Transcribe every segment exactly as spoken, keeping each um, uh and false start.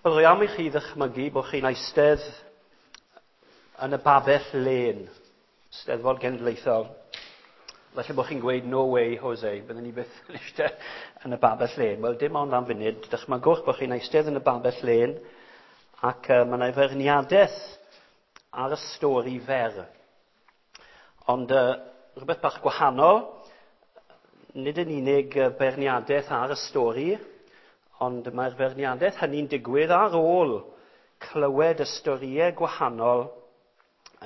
Wel, rwy am i chi ddychmygu bod chi'n eistedd yn y babell lên, Steddfod Genedlaethol. Falle bod chi'n gweud, "No way, Jose, byddwn ni byth yn eistedd yn y babell lên." Wel, dim ond am funud, dychmygwch bod chi'n eistedd yn y babell lên ac uh, mae yna feirniadaeth ar y stori fer. Ond uh, rhywbeth bach gwahanol, nid yn unig beirniadaeth ar y stori, ond mae'r feirniadaeth hynny'n digwydd ar ôl clywed y storïau gwahanol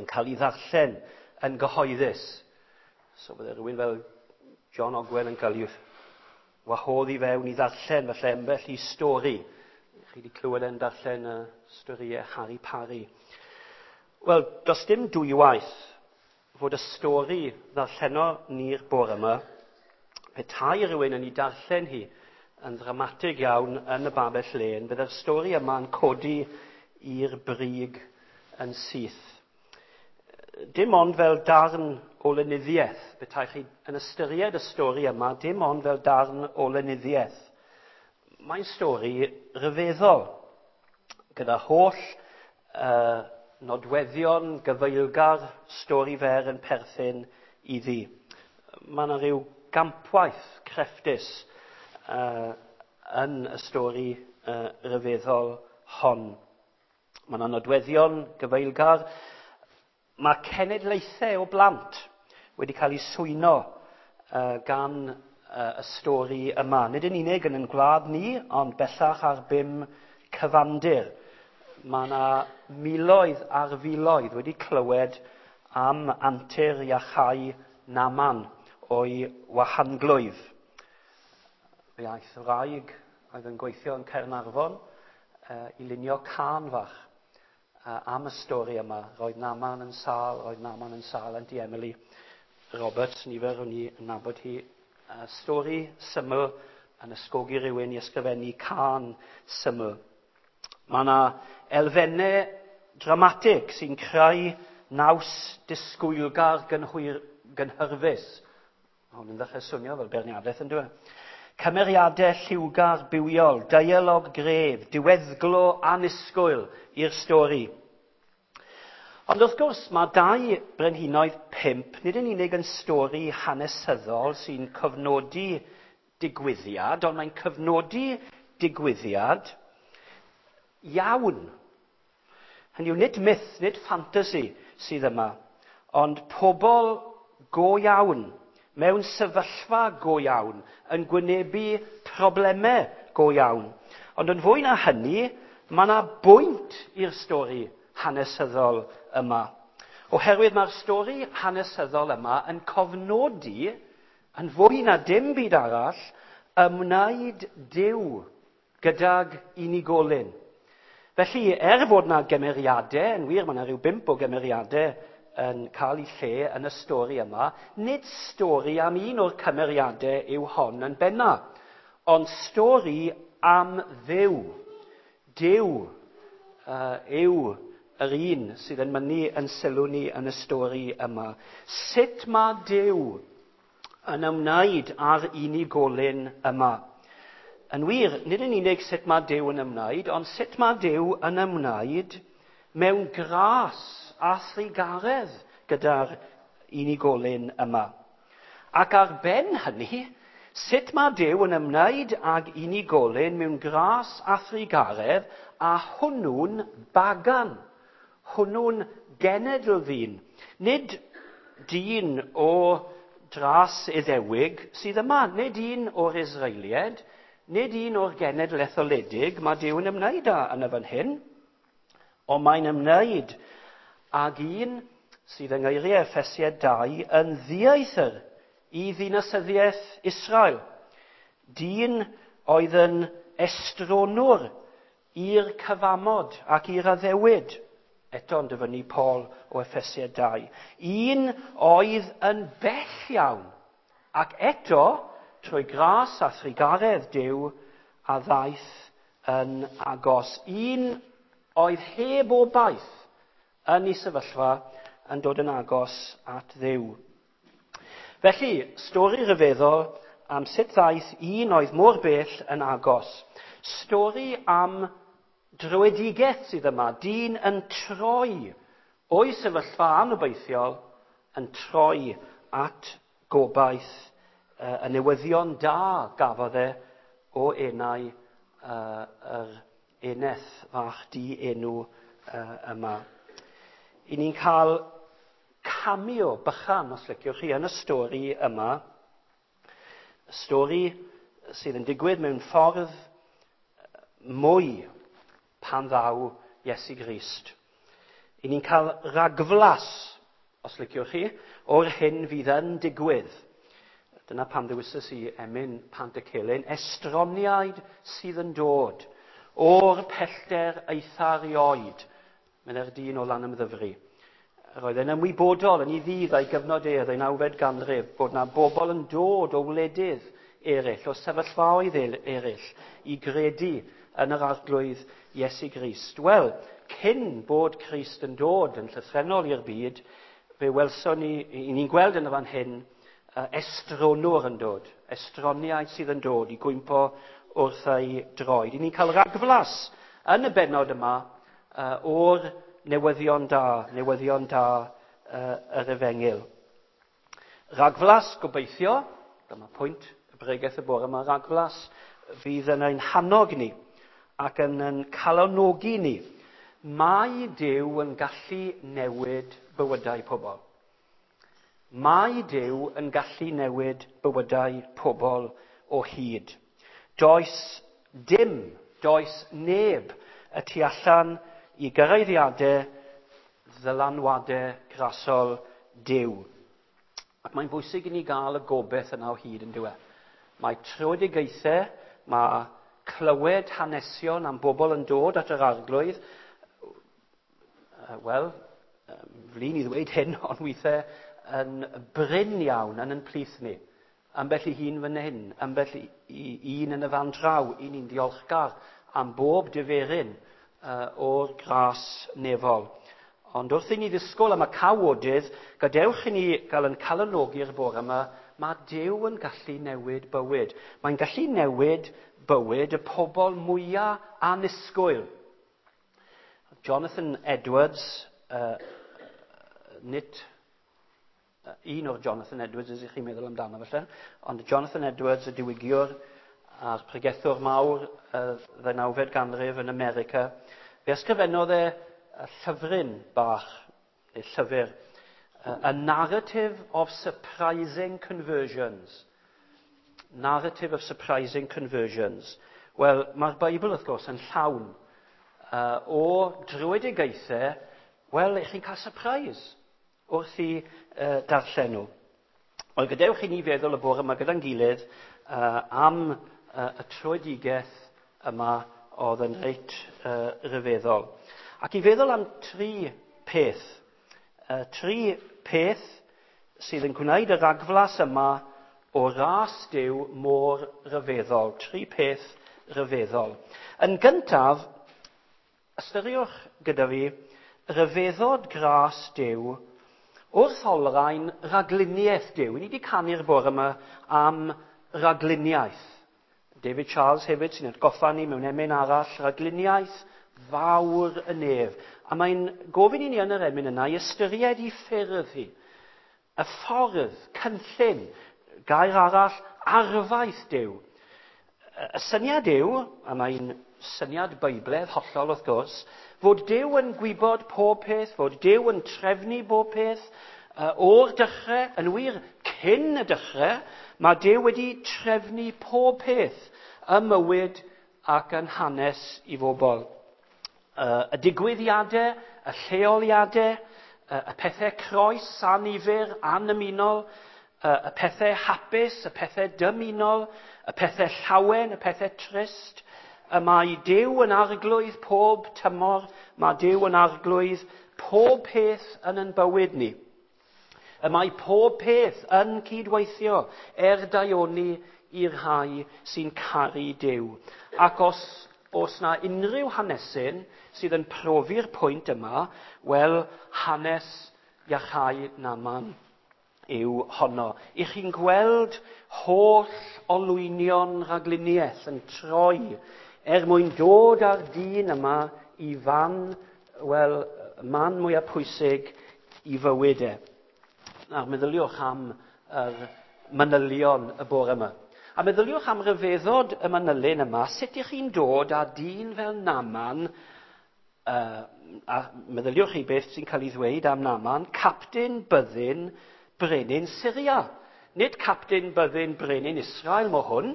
yn cael ei ddarllen yn gyhoeddus. So bydde rhywun fel John Ogwen yn cael ei wahodd i fewn i ddarllen felly ambell i stori. Chi wedi clywed e'n darllen y storïau Harry Parry. Wel, does dim dwywaith fod y stori ddarlleno ni'r bore yma, petai rhywun yn ei darllen hi yn ddramatig iawn yn y babell lên, bydde'r stori yma'n codi i'r brig yn syth. Dim ond fel darn o lenyddiaeth, petai chi yn ystyried y stori yma, dim ond fel darn o lenyddiaeth. Mae'n stori ryfeddol, gyda holl uh, nodweddion gyfeilgar stori fer yn perthyn iddi. Mae yna rhyw gampwaith crefftus uh, yn y stori uh, ryfeddol hon. Mae yna nodweddion gyfeilgar. Mae cenedlaethau o blant wedi cael eu swyno uh, gan uh, y stori yma. Nid yn unig yn ein gwlad ni, ond bellach ar bum cyfandir. Mae yna miloedd ar filoedd wedi clywed am antur iachau Naman o'i wahanglwyf. Fe aeth wraig oedd yn gweithio yn Caernarfon uh, i lunio cân fach uh, am y stori yma. Roedd Naman yn sâl, roedd Naman yn sâl, Auntie Emily Roberts, nifer o'n i yn nabod hi. Uh, stori syml yn ysgogi rhywun i ysgrifennu cân syml. Mae yna elfennau dramatig sy'n creu naws disgwylgar gynhwyr, gynhyrfus. Mae hwn yn ddechrau swnio fel beirniadaeth, yn dweud. Cymeriadau lliwgar bywiol, dialog gref, diweddglo annisgwyl i'r stori. Ond wrth gwrs, mae dau Brenhinoedd pump nid yn unig yn stori hanesyddol sy'n cofnodi digwyddiad, ond mae'n cofnodi digwyddiad iawn. Hynny yw, nid myth, nid ffantasi sydd yma, ond pobl go iawn, mewn sefyllfa go iawn, yn gwynebu problemau go iawn. Ond yn fwy na hynny, mae yna bwynt i'r stori hanesyddol yma. Oherwydd mae'r stori hanesyddol yma yn cofnodi, yn fwy na dim byd arall, ymwneud Duw gydag unigolyn. Felly, er fod yna gymeriadau, yn wir mae yna rhyw bump o gymeriadau yn cael ei lle yn y stori yma, nid stori am un o'r cymeriadau yw hon yn benna, ond stori am Dduw. Duw uh, yw yr un sydd yn mynnu yn sylw ni yn y stori yma. Sut mae Duw yn ymwneud â'r unigolyn yma? Yn wir, nid yn unig sut mae Duw yn ymwneud, ond sut mae Duw yn ymwneud mewn gras a thrugaredd gyda'r unigolyn yma. Ac ar ben hynny, sut mae Duw yn ymwneud ag unigolyn mewn gras a thrugaredd a hwnnw'n bagan, hwnnw'n genedl ddyn. Nid dyn o dras Iddewig sydd yma, nid un o'r Israeliaid, nid un o'r genedl etholedig mae Duw yn ymwneud â yn y fan hyn, ond mae'n ymwneud ag un sydd yng ngeiriau Effesiaid dau yn ddieithr i ddinasyddiaeth Israel. Dyn oedd yn estronwr i'r cyfamod ac i'r addewid. Eto yn dyfynnu Paul o Effesiaid dau. Un oedd yn bell iawn ac eto trwy gras a thrugaredd Duw a ddaeth yn agos. Un oedd heb obaith yn ei sefyllfa yn dod yn agos at Dduw. Felly, stori ryfeddol am sut ddaeth un oedd mor bell yn agos. Stori am Dröedigaeth sydd yma, dyn yn troi o'i sefyllfa anobeithiol yn troi at gobaith uh, y newyddion da gafodd e o enau uh, yr eneth fach di enw uh, yma. I ni'n cael cameo bychan, os liciwch chi, yn y stori yma. Stori sydd yn digwydd mewn ffordd mwy pan ddaw Iesu Grist. I ni'n cael ragflas, os liciwch chi, o'r hyn fydd yn digwydd. Dyna pam ddewisais i emyn Pantycelyn, estroniaid sydd yn dod o'r pellter eitha rioed, meddai'r dyn o Lanymddyfri. Roedd e'n ymwybodol yn ei ddydd a'i gyfnod e, ddeunawfed ganrif, bod na bobl yn dod o wledydd eraill, o sefyllfaoedd eraill, i gredu yn yr Arglwydd Iesu Grist. Wel, cyn bod Crist yn dod yn llythrennol i'r byd, fe welson ni, i ni'n gweld yn y fan hyn, estronwr yn dod, estroniaid sydd yn dod i gwympo wrth ei droed. I ni'n cael ragflas yn y bennod yma uh, o'r newyddion da, newyddion da uh, yr efengyl. Ragflas, gobeithio, dyma pwynt y bregeth y bore yma, ragflas fydd yn ein hannog ni ac yn ein calonogi ni. Mae Duw yn gallu newid bywydau pobl. Mae Duw yn gallu newid bywydau pobl o hyd. Does dim, does neb y tu allan i gyraeddiadau, ddylanwadau grasol Duw. Ac mae'n bwysig i ni gael y gobaith yna o hyd yn dyw e. Mae tröedigaethau, mae clywed hanesion am bobl yn dod at yr Arglwydd. Wel, flin i ddweud hyn, ond weithiau yn brin iawn yn yn plith ni. Ambell i hun fan hyn, ambell i un yn y fan draw, i ni'n diolchgar am bob diferyn uh, o'r gras nefol. Ond wrth i ni ddisgwyl am y cawodydd, gadewch i ni gael yn calonogi'r bore yma, mae Duw yn gallu newid bywyd. Mae'n gallu newid bywyd y pobl mwyaf annisgwyl. Jonathan Edwards, uh, nid un o'r Jonathan Edwards, ydych chi'n meddwl amdano felly, ond Jonathan Edwards, y diwygiwr a'r pregethwr mawr y ddeunawfed ganrif yn America, fe ysgrifennodd e llyfryn bach, neu llyfr, A Narrative of Surprising Conversions. Narrative of Surprising Conversions. Wel, mae'r Beibl, wrth gwrs, yn llawn uh, o dröedigaethau, wel, ych chi'n cael surprise wrth i uh, darllen nhw. Wel, gadewch i ni feddwl y bore yma gyda'n gilydd uh, am uh, y tröedigaeth yma oedd yn reit uh, ryfeddol. Ac i feddwl am tri peth. Uh, tri peth sydd yn gwneud y ragflas yma o ras Duw mor ryfeddol. Tri peth ryfeddol. Yn gyntaf, ystyriwch gyda fi, ryfeddod gras Duw wrth olrhain ragluniaeth Duw. Ni wedi canu'r bore yma am ragluniaeth. David Charles hefyd sy'n atgoffa ni mewn emyn arall, ragluniaeth fawr y nef. A mae'n gofyn i ni yn yr emyn yna i ystyried i ffyrdd hi. Y ffordd, cynllun, gair arall, arfaeth Duw. Y syniad yw, a mae'n syniad Beiblaidd hollol wrth gwrs, fod Duw yn gwybod pob peth, fod Duw yn trefnu bob peth, o'r dechrau, yn wir cyn y dechrau, mae Duw wedi trefnu pob peth ym mywyd ac yn hanes i bobl. Y digwyddiadau, y lleoliadau, y pethau croes annifyr, annymunol, y pethau hapus, y pethau dymunol, y pethau llawen, y pethau trist. Y mae Duw yn arglwydd pob tymor, mae Duw yn arglwydd pob peth yn ein bywyd ni. Y mae pob peth yn cydweithio er daioni i'r rhai sy'n caru Duw. Ac os os na unrhyw hanesyn sydd yn profi'r pwynt yma, wel, hanes iachau Naaman yw honno. I chi'n gweld holl olwynion rhagluniaeth yn troi er mwyn dod â'r dyn yma i fan, wel, man mwyaf pwysig i fywyd e. Nawr, meddyliwch am yr manylion y bore yma. A meddyliwch am ryfeddod y manylyn yma, sut ych chi'n dod â dyn fel Naaman, uh, a meddyliwch chi beth sy'n cael ei ddweud am Naaman, capten byddin brenin Syria. Nid capten byddin brenin Israel mo hwn.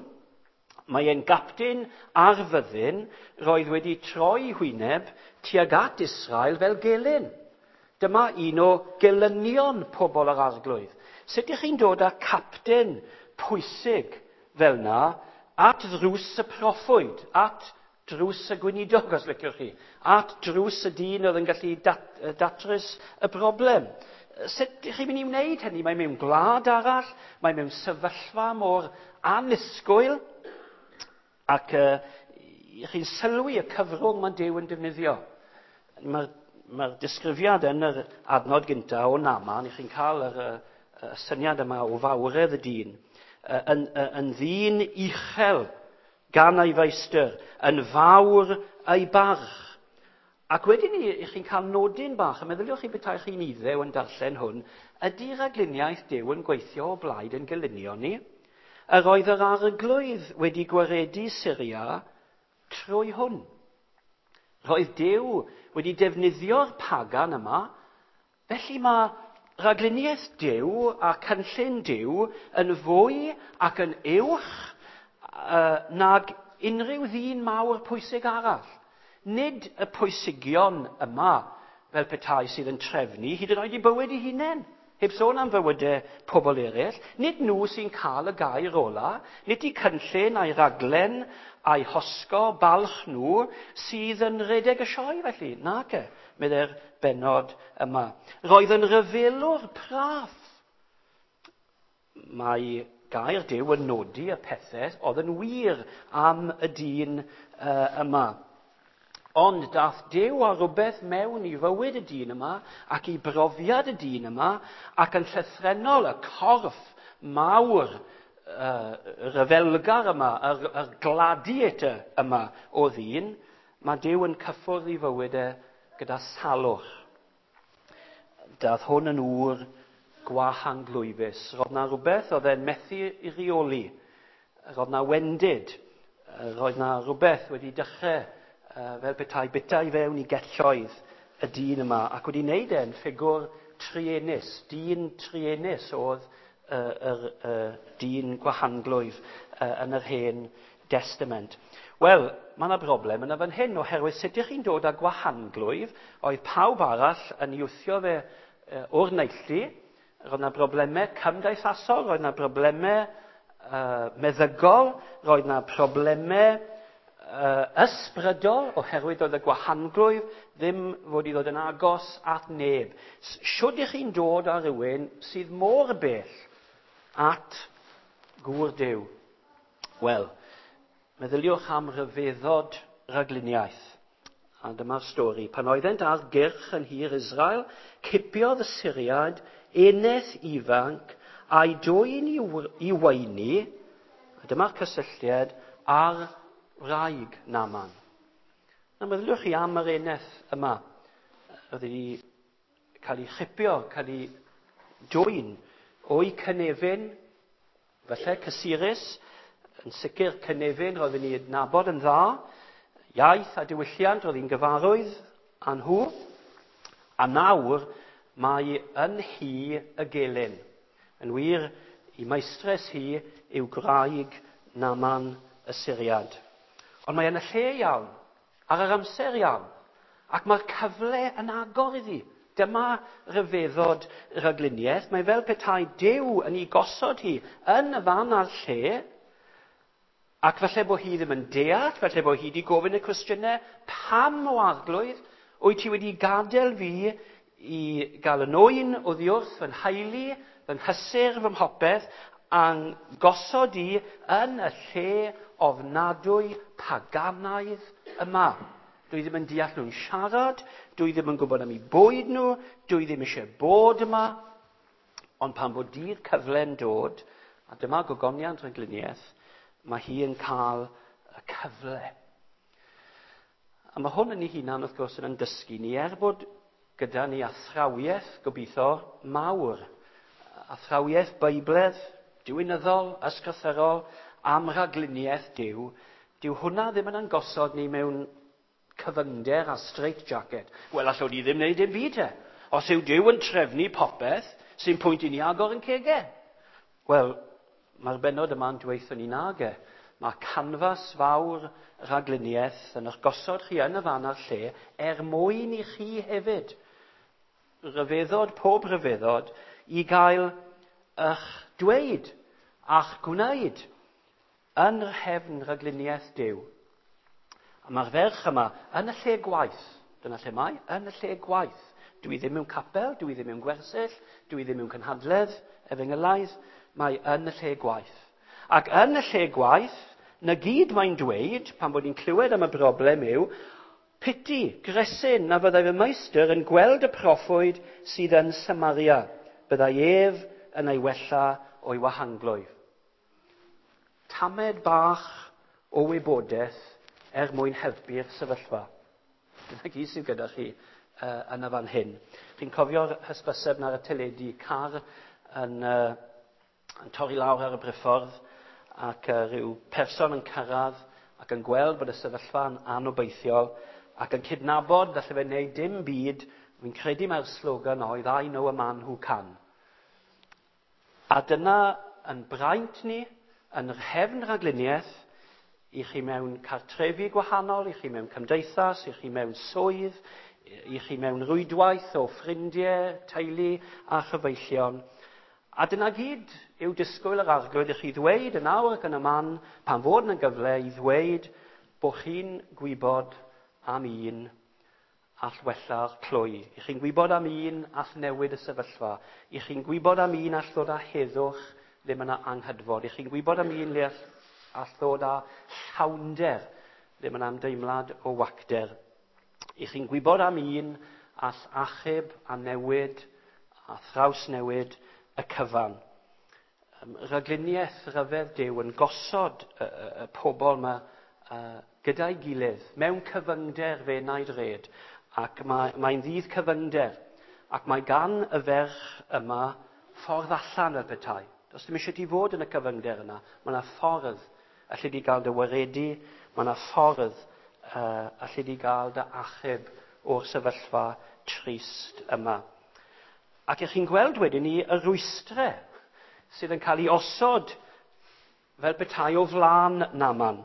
Mae e'n gapten ar fyddin roedd wedi troi hwyneb tuag at Israel fel gelyn. Dyma un o gelynion pobl yr Arglwydd. Sut ych chi'n dod â capten pwysig fel na at ddrws y proffwyd, at drws y gweinidog, os liciwch chi, at drws y dyn oedd yn gallu dat, datrys y broblem? Sut ych chi'n mynd i wneud hynny? Mae mewn gwlad arall, mae mewn sefyllfa mor annisgwyl, ac uh, chi'n sylwi y cyfrwng mae Duw yn defnyddio. Mae'r mae disgrifiad yn yr adnod gyntaf o Naaman, chi'n cael yr, y, y syniad yma o fawredd y dyn, yn, yn ddyn uchel gan ei feistr, yn fawr ei barch. Ac wedyn ni, chi'n cael nodyn bach, a meddyliwch chi petai chi'n iddew yn darllen hwn, ydy rhagluniaeth Duw yn gweithio o blaid yn gelynion ni? Yr oedd yr Arglwydd wedi gwaredu Syria trwy hwn. Roedd Duw wedi defnyddio'r pagan yma, felly mae rhagluniaeth Duw a cynllun Duw yn fwy ac yn uwch uh, nag unrhyw ddyn mawr pwysig arall. Nid y pwysigion yma fel petai sydd yn trefnu hyd yn oed i bywyd eu hunain, heb sôn am fywydau pobl eraill. Nid nhw sy'n cael y gair ola, nid eu cynllun a'i raglen a'i hosgo balch nhw sydd yn rhedeg y sioe felly. Nac e, meddai'r bennod yma. Roedd yn ryfelwr praff. Mae gair Duw yn nodi y pethau oedd yn wir am y dyn uh, yma. Ond dath Duw â rhywbeth mewn i fywyd y dyn yma ac i brofiad y dyn yma ac yn llythrennol y corff mawr uh, ryfelgar yma, yr, yr gladiator yma o ddyn, mae Duw yn cyffwrdd i fywyd e gyda salwch. Dath hwn yn ŵr gwahanglwyfus. Roedd na rhywbeth oedd e'n methu i reoli. Roedd na wendid. Roedd na rhywbeth wedi dechrau fel petai bita i fewn i gelloedd y dyn yma ac wedi wneud e'n ffigwr truenus. Dyn truenus oedd y, y, y dyn gwahanglwyf yn yr Hen Testament. Wel, mae yna broblem yna fan hyn, oherwydd sut ydych chi'n dod â gwahanglwyf, oedd pawb arall yn ei wthio fe o'r neilltu. Roedd yna broblemau cymdeithasol, roedd yna broblemau uh, meddygol, roedd yna problemau uh, ysbrydol, oherwydd oedd y gwahanglwyf ddim fod i ddod yn agos at neb. Siwd ych chi'n dod â rhywun sydd mor bell at gŵr Duw? Wel, meddyliwch am ryfeddod rhagluniaeth. A dyma'r stori. Pan oeddent ar gyrch yn nhir Israel, cipiodd y Syriaid eneth ifanc a'i dwyn i weini, a dyma'r cysylltiad, ar wraig Naaman. Na, meddyliwch chi am yr eneth yma. Oedd wedi cael ei chipio, cael ei dwyn o'i cynefin, falle cysurus, yn sicr cynefin roedd yn ei adnabod yn dda, iaith a diwylliant roedd hi'n gyfarwydd â nhw, a nawr mae yn hi y gelyn. Yn wir, i maestres hi yw gwraig Naaman y Syriad. Ond mae yn y lle iawn, ar yr amser iawn, ac mae'r cyfle yn agor iddi. Dyma ryfeddod rhagluniaeth. Mae fel petai Duw yn ei gosod hi yn y fan a'r lle, ac falle bod hi ddim yn deall, falle bod hi wedi gofyn y cwestiynau, pam o Arglwydd wyt ti wedi gadael fi i gael yn oen oddi wrth fy nheulu, fy nghysur, fy mhopeth, a'n gosod i yn y lle ofnadwy paganaidd yma. Dwi ddim yn deall nhw'n siarad, dwi ddim yn gwybod am eu bwyd nhw, dwi ddim eisiau bod yma. Ond pan fod dydd cyfle'n dod, a dyma gogoniant rhagluniaeth, mae hi yn cael y cyfle. A mae hwn yn ei hunan, wrth gwrs, yn dysgu ni, er bod gyda ni athrawiaeth, gobeithio, mawr. Athrawiaeth Beibledd, diwinyddol, ysgrythurol, am ragluniaeth Duw, dyw hwnna ddim yn angosod ni mewn cyfyngder a straitjacket. Wel, allwn ni ddim wneud dim byd e. Os yw Duw yn trefnu popeth, sy'n pwynt i ni agor yn cegau. Wel, mae'r bennod yma'n dweud ni nag e. Mae canfas fawr ragluniaeth yn eich gosod chi yn y fan a'r lle er mwyn i chi hefyd ryfeddod, pob ryfeddod, i gael eich dweud a'ch gwneud yn rhefn ragluniaeth Duw. A mae'r ferch yma yn y lle gwaith. Dyna lle mae, yn y lle gwaith. Dwi ddim mewn capel, dwi ddim mewn gwersyll, dwi ddim mewn cynhadledd, efengylaidd, mae yn y lle gwaith. Ac yn y lle gwaith, na gyd mae'n dweud, pan bod ni'n clywed am y broblem yw, piti, gresyn, na fyddai fy meistr yn gweld y proffwyd sydd yn Samaria. Byddai ef yn ei wella o'i wahanglwyf. Tamed bach o wybodaeth er mwyn helpu'r sefyllfa. Dyna gyd sydd gyda chi uh, yn y fan hyn. Chi'n cofio'r hysbyseb ar y teledu, car yn, uh, yn torri lawr ar y briffordd ac uh, rhyw person yn cyrraedd ac yn gweld bod y sefyllfa'n anobeithiol ac yn cydnabod falle fe wneud dim byd. Fi'n credu mae'r slogan oedd "I know a man who can". A dyna yn braint ni, yn rhefn ragluniaeth, i chi mewn cartrefi gwahanol, i chi mewn cymdeithas, i chi mewn swydd, i chi mewn rwydwaith o ffrindiau, teulu a chyfeillion. A dyna gyd yw disgwyl yr Arglwydd i chi ddweud yn awr ac yn y man, pan fod yna gyfle i ddweud bod chi'n gwybod am un all wella'r clwy. I chi'n gwybod am un all newid y sefyllfa. I chi'n gwybod am un all ddod â heddwch le mae yna anghydfod. I chi'n gwybod am un le all, all ddod â llawnder le mae yna ymdeimlad o wacter. I chi'n gwybod am un all achub a newid a thrawsnewid y cyfan. Rhagluniaeth ryfedd Duw yn gosod y, y, y pobl yma uh, gyda'i gilydd mewn cyfyngder fe naid red, ac mae, mae'n ddydd cyfyngder, ac mae gan y ferch yma ffordd allan fel petai. Does dim eisiau ti fod yn y cyfyngder yna. Mae yna ffordd allu di gael dy waredu, mae yna ffordd uh, allu di gael dy achub o'r sefyllfa trist yma. Ac ych chi'n gweld wedyn ni y rwystrau sydd yn cael ei osod fel petai o flaen Naaman.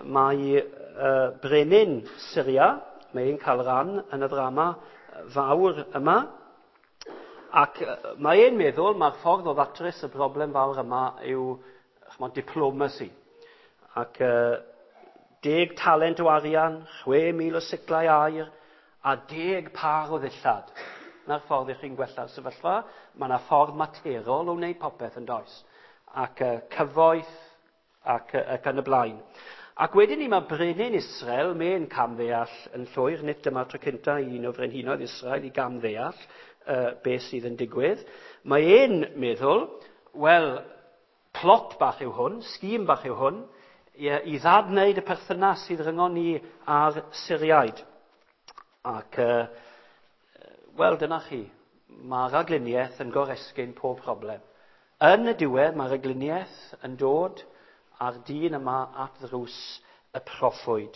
Mae uh, brenin Syria, mae'n cael rhan yn y ddrama fawr yma, ac mae e'n meddwl mae'r ffordd o ddatrys y broblem fawr yma yw, ch'mod, diplomacy. Ac uh, deg talent o arian, chwe mil o siclau aur, a deg par o ddillad. Na'r ffordd i chi'n gwella'r sefyllfa. Mae yna ffordd materol o wneud popeth yn does. Ac uh, cyfoeth ac, uh, ac yn y blaen. Ac wedyn ni mae brenin Israel, mae'n camddeall yn llwyr, nid dyma'r tro cyntaf i un o frenhinoedd Israel i gamddeall uh, beth sydd yn digwydd. Mae e'n meddwl, wel, plot bach yw hwn, sgîm bach yw hwn, i, i ddadwneud y perthynas sydd rhyngon ni a'r Syriaid. Ac, uh, wel, dyna chi, mae ragluniaeth yn goresgyn pob problem. Yn y diwedd, mae ragluniaeth yn dod a'r dyn yma at ddrws y proffwyd.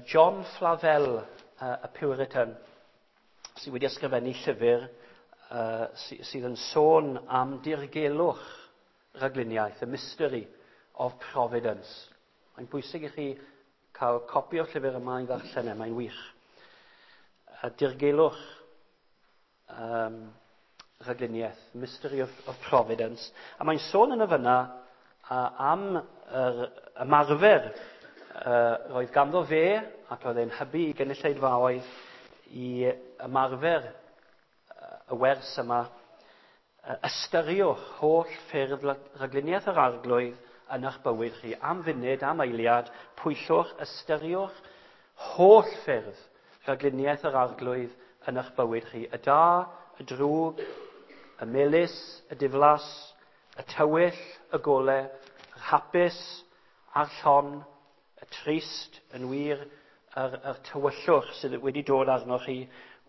John Flavel, y Puritan, sydd wedi ysgrifennu llyfr uh, sydd yn sôn am dirgelwch ragluniaeth, the mystery of providence. Mae'n bwysig i chi cael copi o'r llyfr yma i ddarllen e, mae'n wych. Uh, dirgelwch um, ragluniaeth, mystery of, of providence. A mae'n sôn yn y fyna uh, am yr ymarfer uh, roedd ganddo fe, ac oedd e'n hybu i gynulleidfaoedd i ymarfer y wers yma. Ystyriwch holl ffyrdd ragluniaeth yr Arglwydd yn eich bywyd chi. Am funud, am eiliad, pwyllwch, ystyriwch holl ffyrdd ragluniaeth yr Arglwydd yn eich bywyd chi. Y da, y drwg, y melys, y diflas, y tywyll, y gole, yr hapus a'r llon, y trist, yn wir yr, yr tywyllwch sydd wedi dod arnoch chi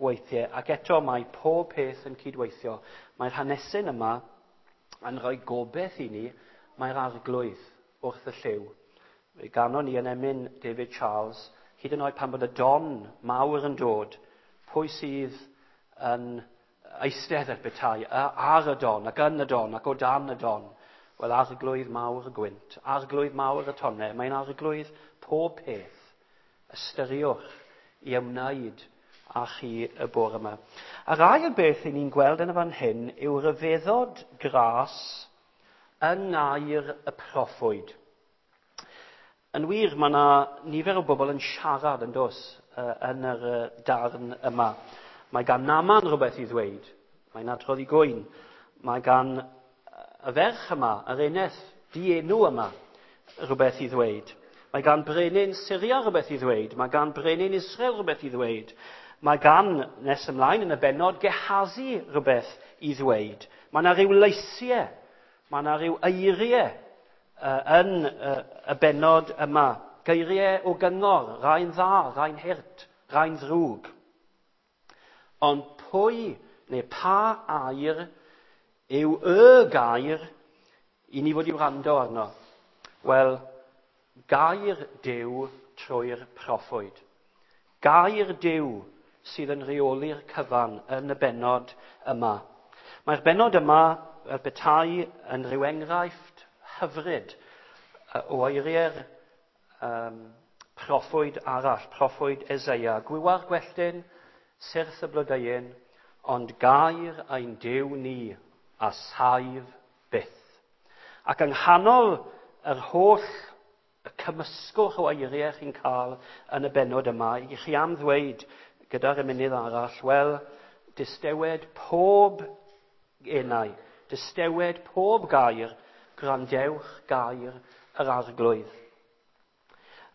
weithiau. Ac eto mae pob peth yn cydweithio. Mae'r hanesyn yma yn rhoi gobeith i ni, mae'r arglwydd wrth y llyw. Fe ganon ni yn emyn David Charles, hyd yn oed pan bod y don mawr yn dod, pwy sydd yn eistedd ar betai, ar y don, ac yn y don, ac o dan y don. Wel, arglwydd mawr y gwynt, arglwydd mawr y tonnau, mae'n arglwydd pob peth. Ystyriwch i ymwneud â chi y bore yma. A'r ail beth i ni'n gweld yn y fan hyn yw rhyfeddod gras yng ngair y proffwyd. Yn wir, mae yna nifer o bobl yn siarad yn dos yn yr darn yma. Mae gan Naaman rhywbeth i ddweud. Mae'n adrodd i gwyn. Mae gan y ferch yma, yr eneth dienw yma, rhywbeth i ddweud. Mae gan brenin Syria rhywbeth i ddweud. Mae gan brenin Israel rhywbeth i ddweud. Mae gan, nes ymlaen yn y bennod, Gehazi rhywbeth i ddweud. Mae yna rhyw leisiau, mae yna rhyw eiriau uh, yn uh, y bennod yma. Geiriau o gyngor, rhai'n dda, rhai'n hurt, rhai'n ddrwg. Ond pwy neu pa air yw y gair i ni fod i wrando arno? Wel, gair Duw trwy'r proffwyd. Gair Duw sydd yn rheoli'r cyfan yn y bennod yma. Mae'r bennod yma, fel petai, yn rhyw enghraifft hyfryd o eiriau'r um, proffwyd arall, proffwyd Eseia. Gwywa'r gwelltyn, syrth y blodeuyn, ond gair ein Duw ni a saif byth. Ac yng nghanol yr holl y cymysgwch o eiriau chi'n cael yn y bennod yma, i chi am ddweud gyda'r emynydd arall, wel, distewed pob enau, distewed pob gair, gwrandewch gair yr arglwydd.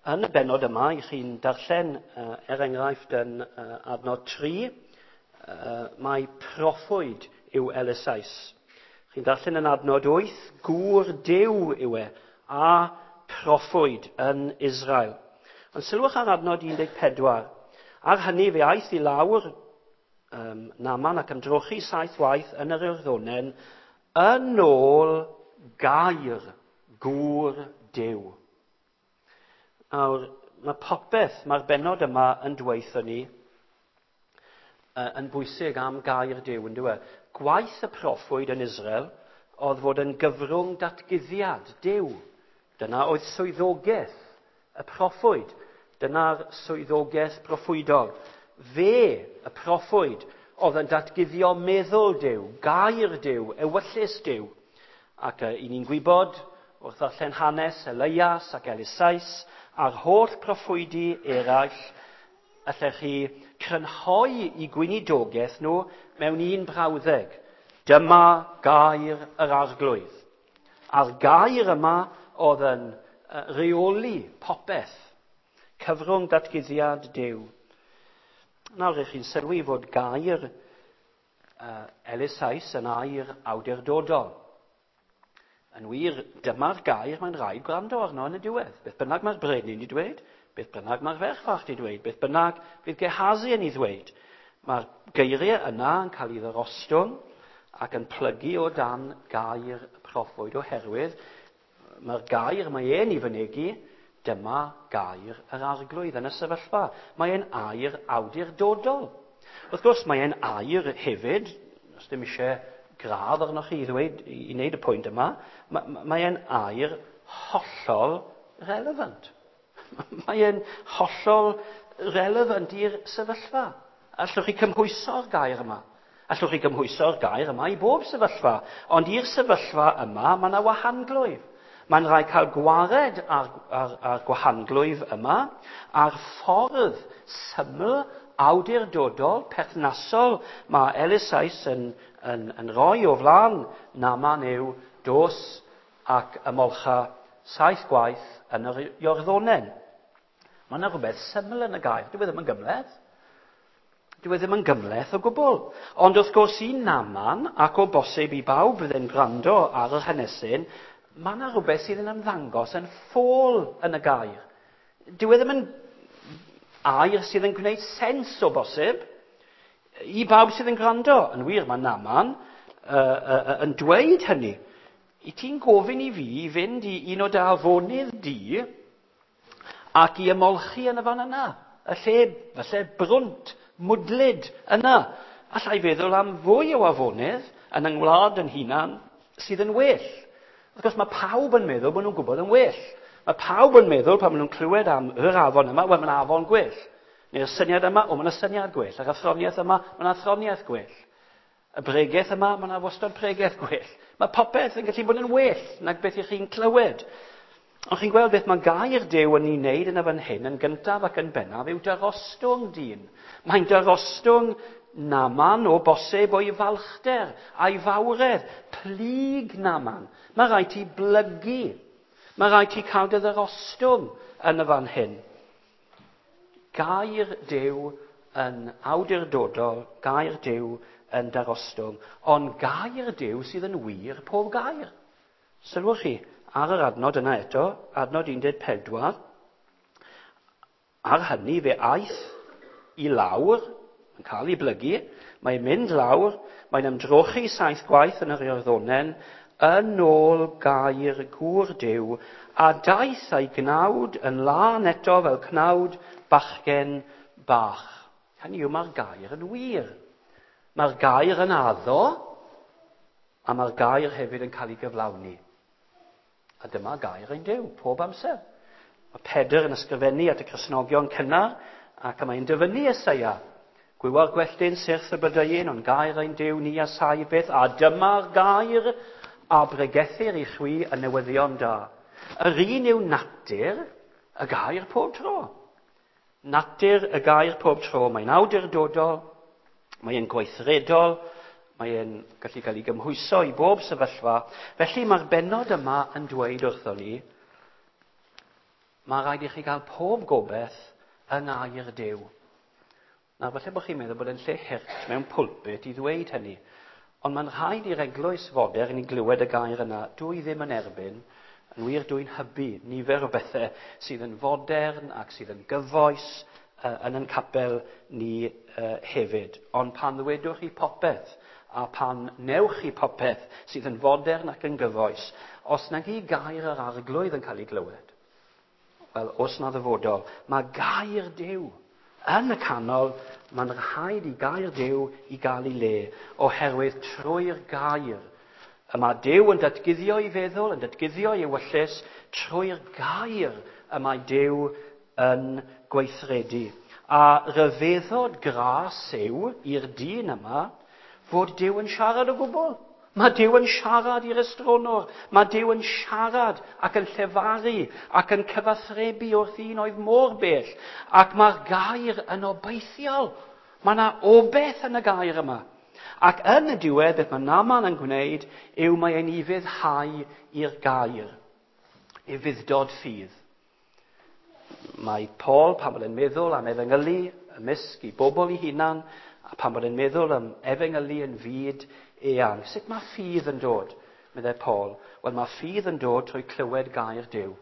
Yn y bennod yma, i chi'n darllen, uh, er enghraifft yn uh, adnod tri, uh, mae proffwyd yw Elisais. Chi'n darllen yn adnod wyth, gŵr Duw yw e, a proffwyd yn Israel. Ond sylwch ar adnod un deg pedwar. Ar hynny fe aeth i lawr um, Naaman ac ymdrochi saith waith yn yr Iorddonen yn ôl gair gŵr Duw. Nawr, mae popeth, mae'r bennod yma yn dweutho ni uh, yn bwysig am gair Duw, yn dyw e? Gwaith y proffwyd yn Israel oedd fod yn gyfrwng datguddiad Duw. Dyna oedd swyddogaeth y proffwyd. Dyna'r swyddogaeth proffwydol. Fe, y proffwyd, oedd yn datguddio meddwl Duw, gair Duw, ewyllys Duw. Ac uh, i ni'n gwybod, wrth ddarllen hanes Elias ac Elisais, a'r holl proffwydi eraill, allech chi crynhoi i gweinidogaeth nhw mewn un brawddeg. Dyma gair yr arglwydd. A'r gair yma oedd yn rheoli popeth. Cyfrwng datguddiad Duw. Nawr ych chi'n sylwi fod gair uh, Elisais yn air awdurdodol. Yn wir, dyma'r gair mae'n rhaid gwrando arno yn y diwedd. Beth bynnag mae'r brenin wedi dweud, beth bynnag mae'r ferch fach wedi dweud, beth bynnag fydd Gehazi yn ei ddweud. Mae'r geiriau yna yn cael ei ddyrostwng ac yn plygu o dan gair y proffwyd oherwydd mae'r gair mae e'n ei fynegi, dyma gair yr arglwydd yn y sefyllfa. Mae e'n air awdurdodol. Wrth gwrs, mae e'n air hefyd, os dim eisiau gradd arnoch chi i ddweud, i wneud y pwynt yma, mae e'n air hollol relevant. Mae e'n hollol relevant i'r sefyllfa. Allwch chi cymhwyso'r gair yma. Allwch chi gymhwyso'r gair yma i bob sefyllfa. Ond i'r sefyllfa yma, mae yna wahanglwyf. Mae'n rhaid cael gwared ar, ar, ar gwahanglwyf yma, a'r ffordd syml, awdurdodol, perthnasol mae Elisais yn, yn, yn rhoi o flaen Naaman yw dos ac ymolcha saith gwaith yn yr Iorddonen. Mae yna rhywbeth syml yn y gair. Dyw e ddim yn gymhleth. Dyw e ddim yn gymhleth o gwbl. Ond wrth gwrs i Naaman, ac o bosib i bawb fydd yn gwrando ar yr hanesyn, mae yna rhywbeth sydd yn ymddangos yn ffôl yn y gair. Dyw e ddim yn air sydd yn gwneud sens o bosib i bawb sydd yn gwrando. Yn wir, mae Naaman uh, uh, yn dweud hynny. I ti'n gofyn i fi i fynd i un o dy afonydd di ac i ymolchi yn y fan yna. Y lle, falle brwnt, mwdlyd yna. Alla i feddwl am fwy o afonydd yn yng ngwlad yn hunan sydd yn well. Wrth gwrs, mae pawb yn meddwl bod nhw'n gwybod yn well. Mae pawb yn meddwl pan maen nhw'n clywed am yr afon yma, wel, mae'n afon gwell. Neu'r syniad yma, o, mae'n syniad gwell. Yr athroniaeth yma, mae'n athroniaeth gwell. Y bregeth yma, mae'n wastad pregeth gwell. Mae popeth yn gallu bod yn well nag beth ych chi'n clywed. Ond chi'n gweld beth mae gair Duw yn ei wneud yn y fan hyn, yn gyntaf ac yn bennaf, yw darostwng dyn. Mae'n darostwng Naaman o bosib o'i falchder a'i fawredd. Plyg Naaman. Mae rhaid ti blygu. Mae rhaid ti cael dy ddarostwng yn y fan hyn. Gair Duw yn awdurdodol, gair Duw yn darostwng, ond gair Duw sydd yn wir pob gair. Sylwch chi ar yr adnod yna eto, adnod un deg pedwar, ar hynny fe aeth i lawr, yn cael ei blygu, mae'n mynd lawr, mae'n ymdrochi saith gwaith yn yr Iorddonen, yn ôl gair gŵr Duw, a daeth a'i gnawd yn lân eto fel cnawd bachgen bach. Hynny yw, mae'r gair yn wir. Mae'r gair yn addo, a mae'r gair hefyd yn cael ei gyflawni. A dyma gair ein Duw, pob amser. Mae Pedr yn ysgrifennu at y Cristnogion cynnar, ac mae'n dyfynnu Eseia. Gwywa'r gwelltyn syrth y blodeuyn, ond gair ein Duw ni a sai byth, a dyma'r gair a bregethir i chwi y newyddion da. Yr un yw natur y gair pob tro. Natur y gair pob tro. Mae'n awdurdodol, mae'n gweithredol, mae'n gallu cael ei gymhwyso i bob sefyllfa. Felly mae'r bennod yma yn dweud wrthon ni, mae rhaid i chi gael pob gobaith yng ngair Duw. Nawr, falle bod chi'n meddwl bod yn lle hurt mewn pulpit i ddweud hynny, ond mae'n rhaid i'r eglwys fodern i glywed y gair yna. Dwi ddim yn erbyn, yn wir dwi'n hybu nifer o bethau sydd yn fodern ac sydd yn gyfoes uh, yn ein capel ni uh, hefyd. Ond pan ddwedwch chi popeth a pan newch chi popeth sydd yn fodern ac yn gyfoes, os nag i gair yr arglwydd yn cael ei glywed, wel, os na ddyfodol, mae gair Duw yn y canol, mae'n rhaid i gair Duw i gael ei le, oherwydd trwy'r gair. Y mae Duw yn datguddio ei feddwl, yn datguddio ei ewyllys, trwy'r gair y mae Duw yn gweithredu. A rhyfeddod gras yw i'r dyn yma fod Duw yn siarad o gwbl. Mae Duw yn siarad i'r estronwr. Mae Duw yn siarad ac yn llefaru ac yn cyfathrebu wrth un oedd mor bell. Ac mae'r gair yn obeithiol. Mae yna obaith yn y gair yma. Ac yn y diwedd, beth mae Naaman yn gwneud yw mae e'n ufuddhau i'r gair. Ufudd-dod ffydd. Mae Paul, pan bod e'n meddwl am efengylu ymysg i bobl ei hunan, a pan bod e'n meddwl am efengylu yn fyd eang. Sut mae ffydd yn dod, meddai Paul? Wel, mae ffydd yn dod trwy clywed gair Duw.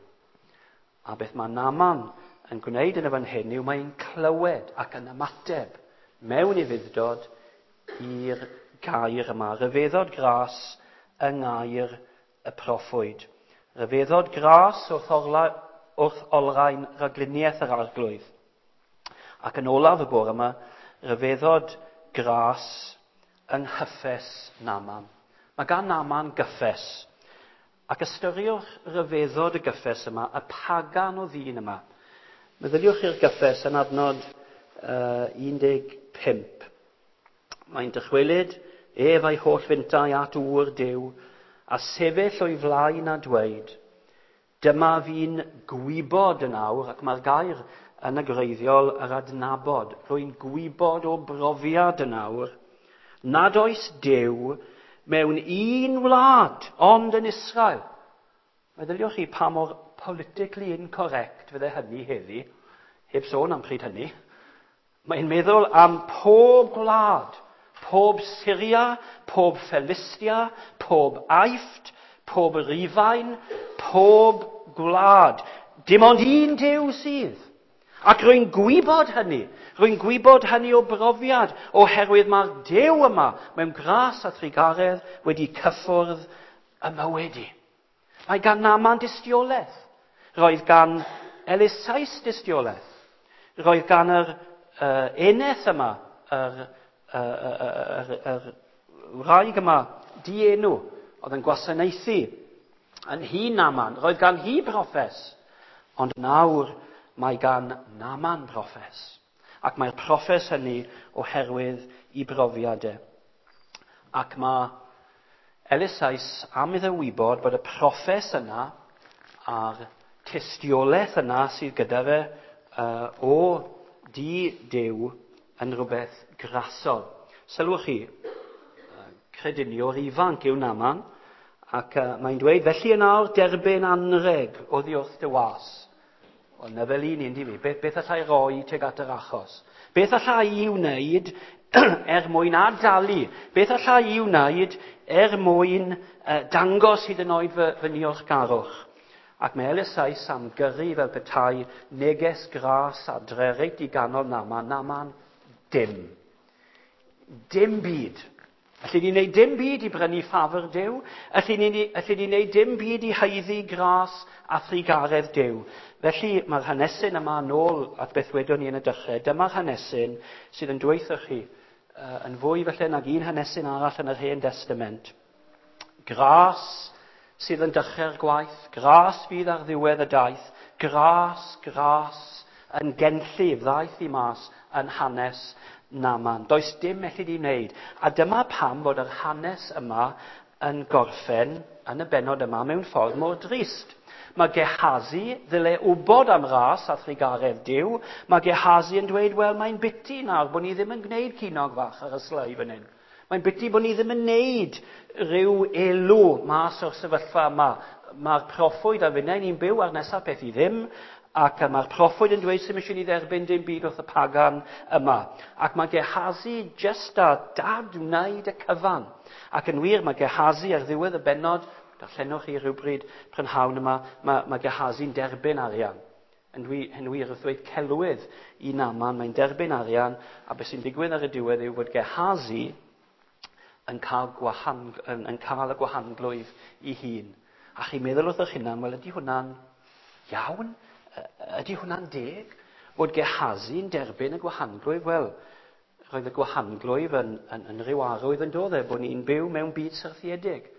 A beth mae Naaman yn gwneud yn y fan hyn yw mae'n clywed ac yn ymateb mewn ufudd-dod i'r gair yma. Rhyfeddod gras yng ngair y proffwyd. Rhyfeddod gras wrth, orla, wrth olrhain rhagluniaeth yr arglwydd. Ac yn olaf y bore yma, rhyfeddod gras yng nghyffes Naaman. Mae gan Naaman gyffes. Ac ystyriwch rhyfeddod y gyffes yma, y pagan o ddyn yma. Meddyliwch i'r gyffes yn adnod uh, un deg pump. Mae'n dychwelyd ef a'i holl fyntai at ŵr Duw, a sefyll o'i flaen a dweud, dyma fi'n gwybod yn awr, ac mae'r gair yn y gwreiddiol yr adnabod, rwy'n gwybod o brofiad yn awr, nad oes Duw mewn un wlad, ond yn Israel. Meddyliwch chi pa mor politically incorrect fydde hynny heddi, heb sôn am pryd hynny. Mae'n meddwl am pob gwlad, pob Syria, pob Philistia, pob Aifft, pob Rufain, pob gwlad. Dim ond un Duw sydd. Ac rwy'n gwybod hynny. Rwy'n gwybod hynny o brofiad, oherwydd mae'r Duw yma mewn gras a thrugaredd wedi cyffwrdd y mywyd i. Mae gan Naaman dystiolaeth. Roedd gan Eliseus dystiolaeth. Roedd gan yr uh, eneth yma, yr, uh, yr, yr, yr wraig yma, dienw, oedd yn gwasanaethu yn hi Naaman. Roedd gan hi broffes. Ond nawr mae gan Naaman broffes. Ac mae'r proffes hynny oherwydd i brofiadau. Ac mae Eliseus am iddo wybod bod y proffes yna a'r tystiolaeth yna sydd gyda fe uh, o di Duw yn rhywbeth grasol. Sylwch chi, crediniwr ifanc yw Naaman, ac uh, mae'n dweud, felly yn awr derbyn anreg oddi wrth dy was. Wel, na fel un un di fi, beth, beth allai roi tuag at yr achos? Beth allai i wneud er mwyn adalu? Beth allai i wneud er mwyn uh, dangos hyd yn oed fy, fy niolchgarwch? Ac mae Eliseus am gyrru fel petai neges gras adre reit i ganol Naaman. Naaman, dim. Dim byd. Alli ni wneud dim byd i brynu ffafr Duw. Alli ni, alli ni wneud dim byd i haeddu gras a thrugaredd Duw. Felly mae'r hanesyn yma nôl at beth wedon ni yn y dechrau. Dyma'r hanesyn sydd yn dweutho chi uh, yn fwy felly nag un hanesyn arall yn yr Hen Testament. Gras sydd yn dechrau'r gwaith, gras fydd ar ddiwedd y daith, gras, gras yn genllif ddaeth i mas yn hanes Naaman. Does dim elli di wneud. A dyma pam fod yr hanes yma yn gorffen yn y bennod yma mewn ffordd mor drist. Mae Gehazi ddyle wybod am ras a thrugaredd Duw. Mae Gehazi yn dweud, wel, mae'n biti nawr bod ni ddim yn gwneud cinog fach ar y slei fan hyn. Mae'n biti bod ni ddim yn gwneud rhyw elw mas o'r sefyllfa yma. Mae'r proffwyd a finnau ni'n byw ar nesaf peth i ddim, ac mae'r proffwyd yn dweud sy'n eisiau ni dderbyn dim byd wrth y pagan yma. Ac mae Gehazi jyst a dad wneud y cyfan. Ac yn wir, mae Gehazi ar ddiwedd y bennod, darllenwch chi rhywbryd prynhawn yma, mae, mae Gehazi'n derbyn arian. Yn wir, yn wir wrth ddweud celwydd i Naaman, mae'n derbyn arian, a beth sy'n digwydd ar y diwedd yw bod Gehazi yn cael, gwahan, yn, yn cael y gwahanglwyf i hun. A chi'n meddwl wrth eich hunan, wel ydy hwnna'n iawn? Ydy hwnna'n deg? Bod Gehazi'n derbyn y gwahanglwyf? Wel, roedd y gwahanglwyf yn, yn, yn rhyw arwydd yn dod e, bod ni'n byw mewn byd syrthiedig.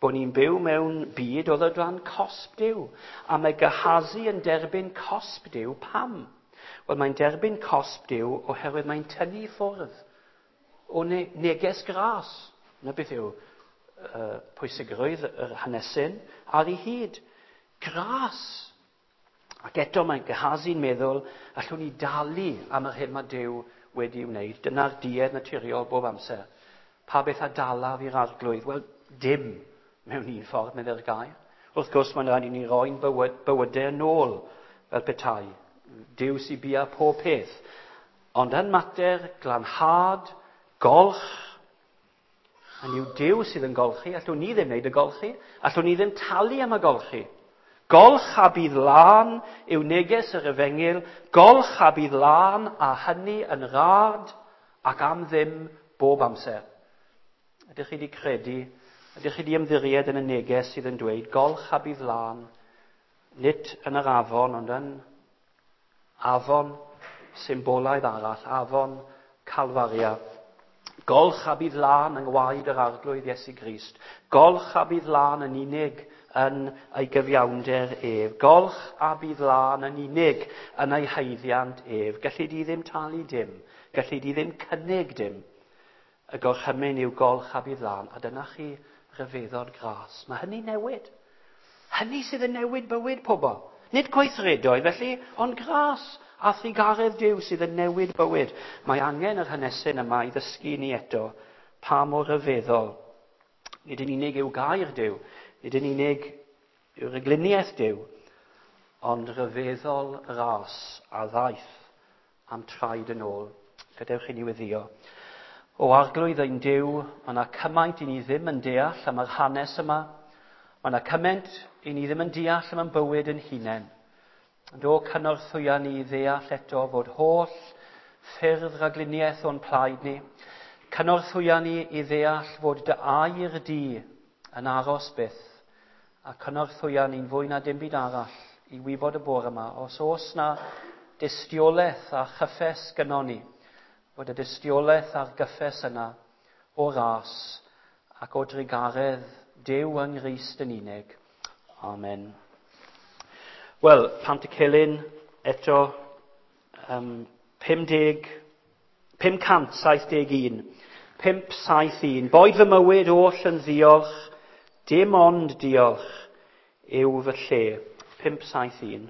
Bod ni'n byw mewn byd oedd o dan cosb Duw. A mae Gehazi yn derbyn cosb Duw. Pam? Wel, mae'n derbyn cosb Duw oherwydd mae'n tynnu ffwrdd o ne- neges gras. Na beth yw uh, pwysigrwydd yr hanesyn ar ei hyd. Gras. Ac eto mae Gehazi'n meddwl, allwn ni dalu am yr hyn mae Duw wedi wneud. Dyna'r duedd naturiol bob amser. Pa beth a dalaf i'r arglwydd? Wel, dim mewn un ffordd, meddai'r gair. Wrth gwrs, mae'n rhaid i ni roi'n bywyd, bywydau yn ôl fel petai. Duw sy'n bia pob peth. Ond yn mater glanhad, golch, a yw Duw sydd yn golchi, allwn ni ddim wneud y golchi, allwn ni ddim talu am y golchi. Golch a bydd lân yw neges yr efengyl, golch a bydd lân a hynny yn rad ac am ddim bob amser. Ydych chi wedi credu, ydych chi wedi ymddiried yn y neges sydd yn dweud golch a bydd lân, nid yn yr afon, ond yn afon symbolaidd arall, afon Calfaria. Golch a bydd lân yng ngwaed yr Arglwydd Iesu Grist. Golch a bydd lân yn unig yn ei gyfiawnder ef. Golch a bydd lân yn unig yn ei haeddiant ef. Galli di ddim talu dim. Galli di ddim cynnig dim. Y gorchymyn yw golch a bydd lân. A dyna chi ryfeddod gras. Mae hynny newid. Hynny sydd yn newid bywyd pobl. Nid gweithredoedd felly, ond gras a thrugaredd Duw sydd yn newid bywyd. Mae angen yr hanesyn yma i ddysgu ni eto pa mor ryfeddol. Nid yn unig yw gair Duw, nid yn unig yw'r egluniaeth Duw, ond ryfeddol ras a ddaeth am traed yn ôl. Gadewch i ni weddïo. O Arglwydd ein Duw, mae yna cymaint i ni ddim yn deall am yr hanes yma. Mae yna cymaint i ni ddim yn deall am ein bywyd yn hunain. Ond o cynorthwya ni i ddeall eto fod holl ffyrdd rhagluniaeth o'n plaid ni. Cynorthwya ni i ddeall fod dy air di yn aros byth. A cynorthwya ni'n fwy na dim byd arall i wybod y bore yma, os oes na dystiolaeth a chyffes gynnon ni, fod y dystiolaeth a'r gyffes yna o ras ac o drugaredd Duw yng Nghrist yn unig. Amen. Wel, Pantycelyn eto, um, pum deg, pum cant saith deg un. pum saith un. Boed fy mywyd oll yn ddiolch, dim ond diolch yw fy lle. pum saith un.